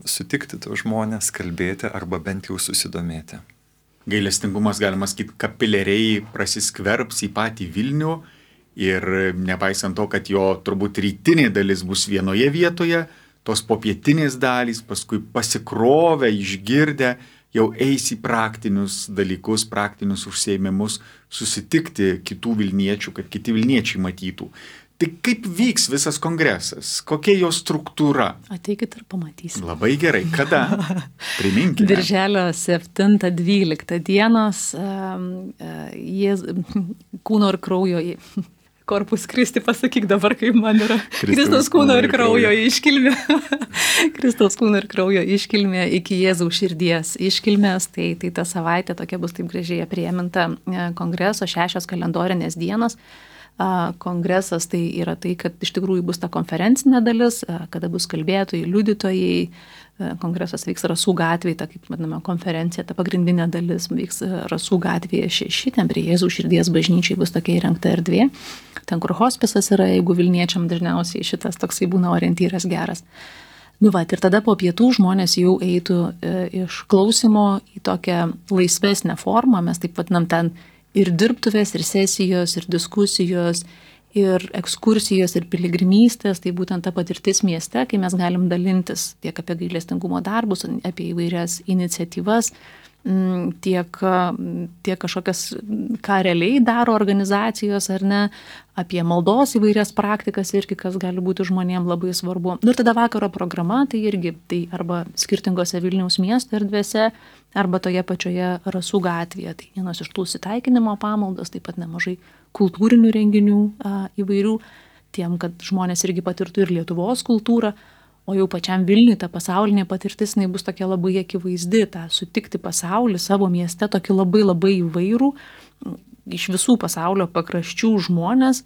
[SPEAKER 3] sutikti tos žmonės, kalbėti arba bent jau susidomėti.
[SPEAKER 1] Gailestingumas, galima sakyti, kapiliariai prasiskverbs į patį Vilnių ir nepaisant to, kad jo turbūt rytinė dalis bus vienoje vietoje, tos popietinės dalys paskui pasikrovę, išgirdę, jau eis į praktinius dalykus, praktinius užsiėmimus, susitikti kitų Vilniečių, kad kiti Vilniečiai matytų. Tai kaip vyks visas kongresas? Kokia jo struktūra?
[SPEAKER 2] Ateikit ir pamatysim.
[SPEAKER 1] Labai gerai. Kada? Priminkime.
[SPEAKER 2] Birželio 7-12 dienos kūno ir kraujo Korpus Kristi, pasakyk dabar, kaip man yra. Kristaus kūno ir kraujo iškilmė. Kristaus kūno ir kraujo iškilmė iki Jėzaus širdies iškilmės. Tai ta savaitė tokia bus taip gražiai aprieminta kongreso 6 kalendorinės dienos. Kongresas tai yra tai, kad iš tikrųjų bus ta konferencinė dalis, kada bus kalbėtojai, liudytojai. Kongresas vyks Rasų gatvėje, ta kaip vadinama konferencija, ta pagrindinė dalis vyks Rasų gatvėje 6, ten prie Jėzaus širdies bažnyčiai bus tokia įrengta erdvė. Ten, kur hospisas yra, jeigu Vilniečiam dažniausiai šitas toksai būna orientyras geras. Ir tada po pietų žmonės jau eitų iš klausimo į tokią laisvesnę formą, mes taip vadinam ten ir dirbtuvės, ir sesijos, ir diskusijos, ir ekskursijos, ir piligrimystės, tai būtent ta patirtis mieste, kai mes galim dalintis tiek apie gailestingumo darbus, apie įvairias iniciatyvas, tiek kažkokias, ką realiai daro organizacijos ar ne, apie maldos įvairias praktikas irgi, kas gali būti žmonėm labai svarbu. Ir tada vakaro programa, tai irgi tai arba skirtingose Vilniaus miesto erdvėse, arba toje pačioje Rasų gatvėje. Tai vienas iš tų susitaikinimo pamaldos, taip pat nemažai kultūrinių renginių įvairių, tiem, kad žmonės irgi patirtų ir Lietuvos kultūrą. O jau pačiam Vilniui ta pasaulinė patirtis, jinai bus tokia labai akivaizdi, tą sutikti pasaulį savo mieste, tokį labai labai įvairų, iš visų pasaulio pakraščių žmonės,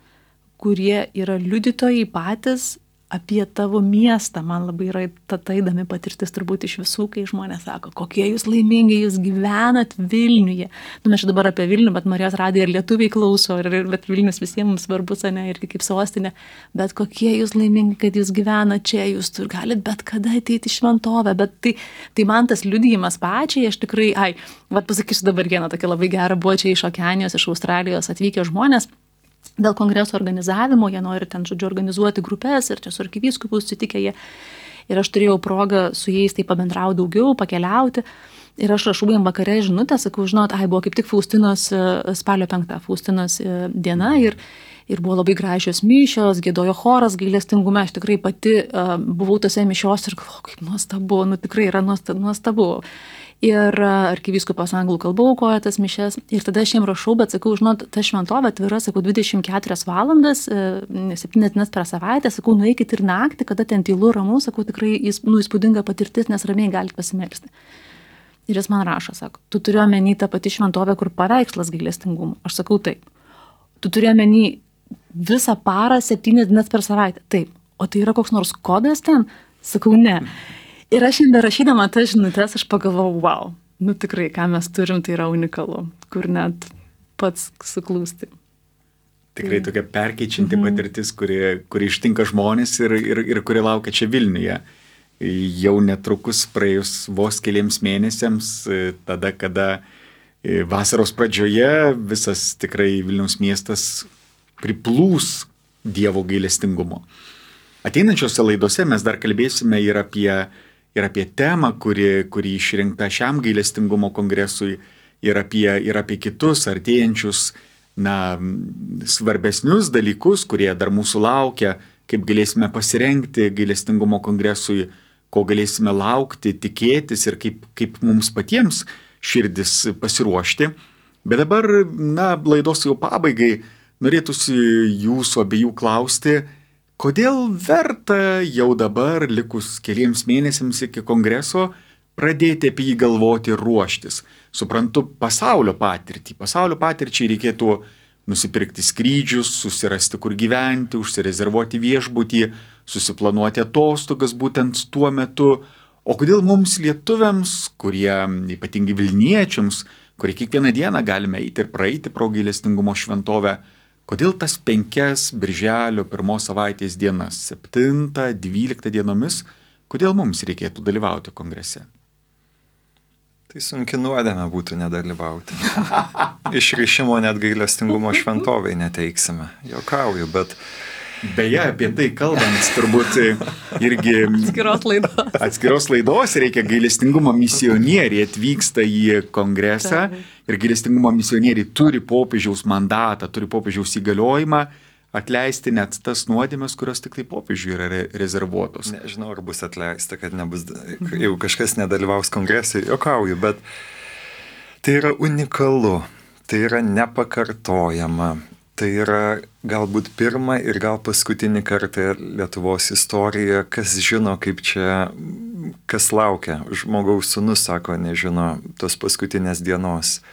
[SPEAKER 2] kurie yra liudytojai patys apie tavo miestą. Man labai yra ta įdomi patirtis turbūt iš visų, kai žmonės sako, kokie jūs laimingi, jūs gyvenat Vilniuje. Mes čia dabar apie Vilnių, bet Marijos radiją ir lietuviai klauso, bet Vilnius visiems mums svarbus, ne, irgi kaip sostinė. Bet kokie jūs laimingi, kad jūs gyvenat čia, jūs galit bet kada ateiti į šventovę. Bet tai man tas liudijimas pačiai, aš tikrai, pasakysiu dabar vieną tokią labai gerą, buvo čia iš Okeanijos, iš Australijos atvykę žmonės. Dėl kongreso organizavimo, jie nori ten, žodžiu, organizuoti grupės ir čia su arkivyskupu susitikę jie. Ir aš turėjau progą su jais tai pabendrauti daugiau, pakeliauti. Ir aš rašau jam vakare žinutę, sakau, žinot, buvo kaip tik Faustinos spalio 5 Faustinos diena ir buvo labai gražios mišios, giedojo choras gailestingume, aš tikrai pati buvau tose mišios ir galvoju, kaip nuostabu, tikrai yra nuostabu. Ir arkivyskupas anglų kalba aukoja tas mišias. Ir tada aš jiem rašau, bet sakau, žinot, ta šventovė atvira, sakau, 24 valandas, 7 dienas per savaitę, sakau, nueikit ir naktį, kada ten tylu, ramu, sakau, tikrai įspūdinga patirtis, nes ramiai galite pasimelsti. Ir jis man rašo, sako, tu turi omeny tą patį šventovę, kur paveikslas gailestingumo. Aš sakau, taip. Tu turi omeny visą parą, 7 dienas per savaitę. Taip. O tai yra koks nors kodas ten? Sakau, ne. Ir aš šiandien rašydama tas žinutes, aš pagalvojau, wow, tikrai, ką mes turim, tai yra unikalu, kur net pats suklūsti.
[SPEAKER 1] Tikrai tokia perkeičianti patirtis, kuri ištinka žmonės ir kuri laukia čia Vilniuje. Jau netrukus praėjus vos keliems mėnesiams, tada, kada vasaros pradžioje visas tikrai Vilniaus miestas priplūs Dievo gailestingumo. Ateinančiose laidose mes dar kalbėsime ir apie temą, kuri išrinkta šiam gailestingumo kongresui, ir apie kitus artėjančius, svarbesnius dalykus, kurie dar mūsų laukia, kaip galėsime pasirengti gailestingumo kongresui, ko galėsime laukti, tikėtis ir kaip mums patiems širdis pasiruošti. Bet dabar, laidos jau pabaigai, norėtųsi jūsų abiejų klausti, kodėl verta jau dabar, likus keliems mėnesiams iki kongreso, pradėti apie jį galvoti ir ruoštis? Suprantu, pasaulio patirčiai reikėtų nusipirkti skrydžius, susirasti kur gyventi, užsirezervuoti viešbutį, susiplanuoti atostogas būtent tuo metu. O kodėl mums lietuviams, kurie ypatingai Vilniečiams, kurie kiekvieną dieną galime eiti ir praeiti pro gailestingumo šventovę, kodėl tas 5 birželio 1 savaitės dienas, 7-12 dienomis, kodėl mums reikėtų dalyvauti kongrese?
[SPEAKER 3] Tai sunki nuodėmė būtų nedalyvauti. Išrišimo net gailestingumo šventovai neteiksime. Juokauju, bet...
[SPEAKER 1] Beje, apie tai kalbant, turbūt irgi atskiros laidos reikia. Gailestingumo misionieriai atvyksta į kongresą ir gailestingumo misionieriai turi popiežiaus mandatą, turi popiežiaus įgaliojimą atleisti net tas nuodėmes, kurios tik tai popiežiui yra rezervuotos.
[SPEAKER 3] Nežinau, ar bus atleista, kad nebus, jeigu kažkas nedalyvaus kongresui, juokauju, bet tai yra unikalu, tai yra nepakartojama. Tai yra galbūt pirmą ir gal paskutinį kartą Lietuvos istorijoje, kas žino, kaip čia, kas laukia. Žmogaus sūnus, sako, nežino tos paskutinės dienos.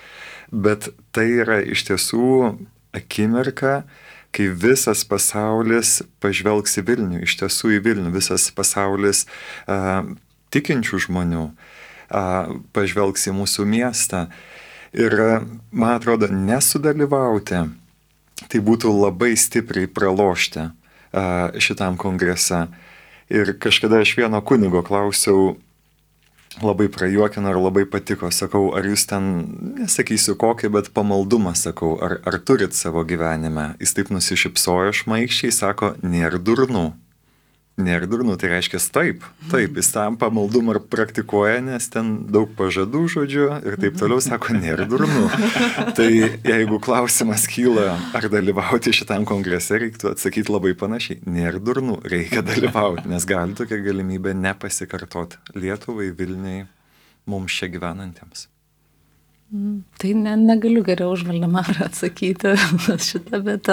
[SPEAKER 3] Bet tai yra iš tiesų akimirka, kai visas pasaulis pažvelgs į Vilnių, iš tiesų į Vilnių, visas pasaulis tikinčių žmonių pažvelgs į mūsų miestą. Ir man atrodo, nesudalyvauti, tai būtų labai stipriai pralošti šitam kongrese. Ir kažkada aš vieno kunigo klausiau, labai prajuokino ir labai patiko, sakau, ar jūs ten, nesakysiu kokį, bet pamaldumą, sakau, ar turit savo gyvenime? Jis taip nusišypsojo šmaikščiai, sako, nėra durnų. Nėra durnu, tai reiškia taip, jis tam pamaldumą ir praktikuoja, nes ten daug pažadų žodžiu ir taip toliau sako, nėra durnu. Tai jeigu klausimas kyla, ar dalyvauti šitam kongrese, reiktų atsakyti labai panašiai. Nėra durnu, reikia dalyvauti, nes gali tokia galimybė nepasikartoti Lietuvai, Vilniui, mums čia gyvenantiems.
[SPEAKER 2] Tai negaliu geriau už Valdemarą atsakyti šitą, bet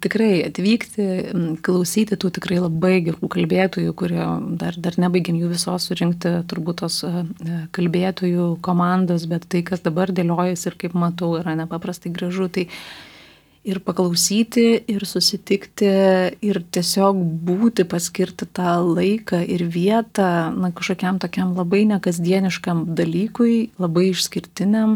[SPEAKER 2] tikrai atvykti, klausyti tų tikrai labai gerų kalbėtojų, kurie dar nebaigėm jų visos surinkti, turbūt tos kalbėtojų komandos, bet tai, kas dabar dėliojasi ir kaip matau, yra nepaprastai gražu. Tai ir paklausyti, ir susitikti, ir tiesiog būti, paskirti tą laiką ir vietą, kažkokiam tokiam labai nekasdieniškam dalykui, labai išskirtiniam.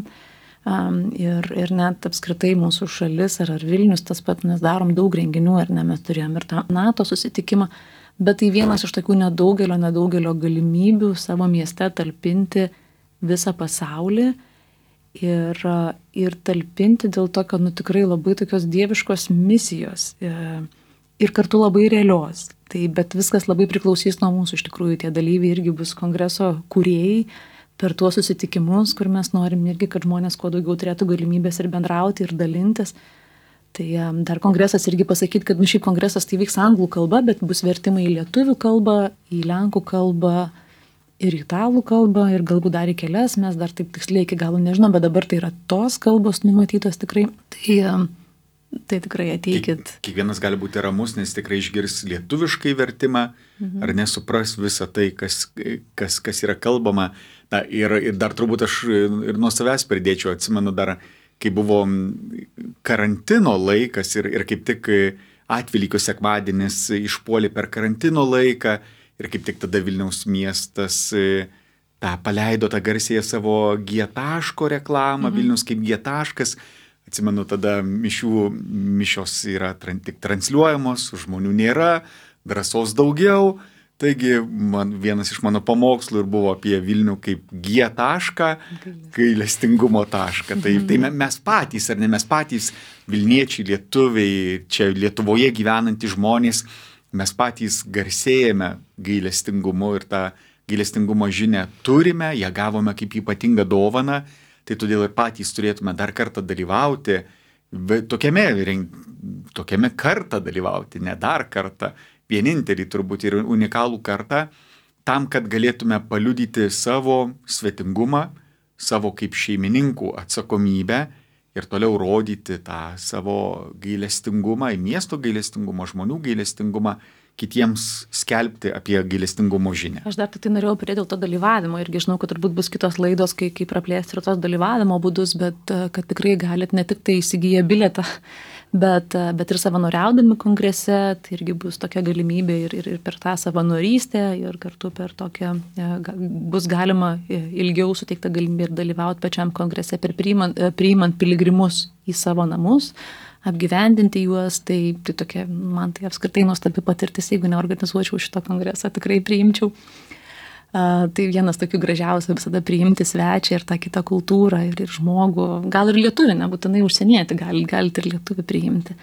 [SPEAKER 2] Ir net apskritai mūsų šalis ar Vilnius tas pat, mes darom daug renginių, ar ne, mes turėjom ir tą NATO susitikimą, bet tai vienas iš tokių nedaugelio galimybių savo mieste talpinti visą pasaulį. Ir talpinti dėl to, kad tikrai labai tokios dieviškos misijos ir kartu labai realios. Bet viskas labai priklausys nuo mūsų, iš tikrųjų tie dalyviai irgi bus kongreso kūrėjai per tuos susitikimus, kur mes norim irgi, kad žmonės kuo daugiau turėtų galimybės ir bendrauti ir dalintis. Tai dar kongresas irgi pasakyti, kad šiaip kongresas tai vyks anglų kalba, bet bus vertimai į lietuvių kalbą, į lenkų kalbą, ir italų kalbą, ir galbūt dar į kelias, mes dar taip tiksliai iki galo nežinom, bet dabar tai yra tos kalbos numatytos tikrai. Tai tikrai ateikit.
[SPEAKER 1] Kiekvienas gali būti ramus, nes tikrai išgirs lietuviškai vertimą, ar nesupras visą tai, kas yra kalbama. Ir dar turbūt aš ir nuo savęs pridėčiau, atsimenu dar, kai buvo karantino laikas ir kaip tik Atvelykio sekmadienis išpuolė per karantino laiką, ir kaip tik tada Vilniaus miestas paleido tą garsėją savo G-taško reklamą, Vilnius kaip G-taškas. Atsimenu, tada mišios yra tik transliuojamos, žmonių nėra, drąsos daugiau. Taigi vienas iš mano pamokslų ir buvo apie Vilnių kaip G-tašką, gailestingumo tašką. Tai mes patys, ar ne mes patys, Vilniečiai, lietuviai, čia Lietuvoje gyvenantys žmonės, mes patys garsėjame gailestingumu ir tą gailestingumo žinią turime, ją gavome kaip ypatingą dovaną, tai todėl ir patys turėtume dar kartą dalyvauti, tokiame kartą dalyvauti, ne dar kartą, vienintelį turbūt ir unikalų kartą, tam, kad galėtume paliudyti savo svetingumą, savo kaip šeimininkų atsakomybę ir toliau rodyti tą savo gailestingumą, miesto gailestingumą, žmonių gailestingumą, kitiems skelbti apie gailestingumo žinią.
[SPEAKER 2] Aš dar tai norėjau pridėti dėl to dalyvavimo irgi žinau, kad turbūt bus kitos laidos, kai praplėsti ir tos dalyvavimo būdus, bet kad tikrai galit ne tik tai įsigiję bilietą, bet ir savanoriaudami kongrese, tai irgi bus tokia galimybė ir per tą savanorystę ir kartu per tokią, bus galima ilgiau suteikta galimybė ir dalyvauti pačiam kongrese, priimant piligrimus į savo namus, apgyvendinti juos, tai tokia, man tai apskritai nuostabi patirtis, jeigu neorganizuočiau šito kongreso, tikrai priimčiau. Tai vienas tokių gražiausių visada priimti svečią ir tą kitą kultūrą ir žmogų, gal ir lietuvį, nebūtinai užsienietį, galite ir lietuvį priimti.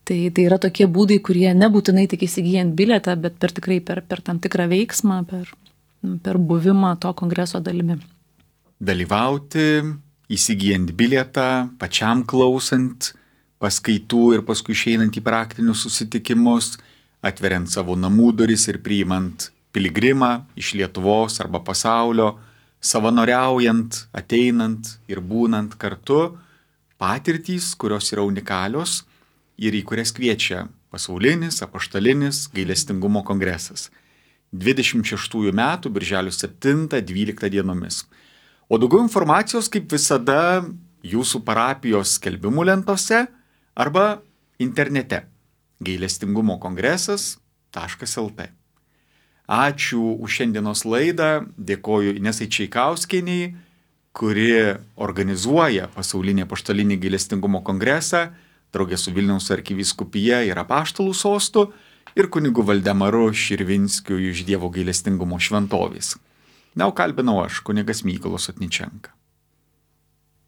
[SPEAKER 2] Tai yra tokie būdai, kurie nebūtinai tik įsigijant bilietą, bet tikrai per tam tikrą veiksmą, per buvimą to kongreso dalimi.
[SPEAKER 1] Dalyvauti, įsigijant bilietą, pačiam klausant paskaitų ir paskui išeinant į praktinius susitikimus, atveriant savo namų duris ir priimant piligrimą iš Lietuvos arba pasaulio, savanoriaujant, ateinant ir būnant kartu, patirtys, kurios yra unikalios ir į kurias kviečia pasaulinis, apaštalinis gailestingumo kongresas. 26 metų, birželio 7-12 dienomis. O daugiau informacijos, kaip visada, jūsų parapijos skelbimų lentose arba internete gailestingumokongresas.lt. Ačiū už šiandienos laidą, dėkoju Inesai Čeikauskienei, kuri organizuoja pasaulinį apaštalinį gailestingumo kongresą, draugė su Vilniaus arkivyskupija ir apaštalų sostu ir kunigu Valdemaru Širvinskiu iš Dievo gailestingumo šventovės. Na, o kalbinau aš, kunigas Mykolas Otničenka.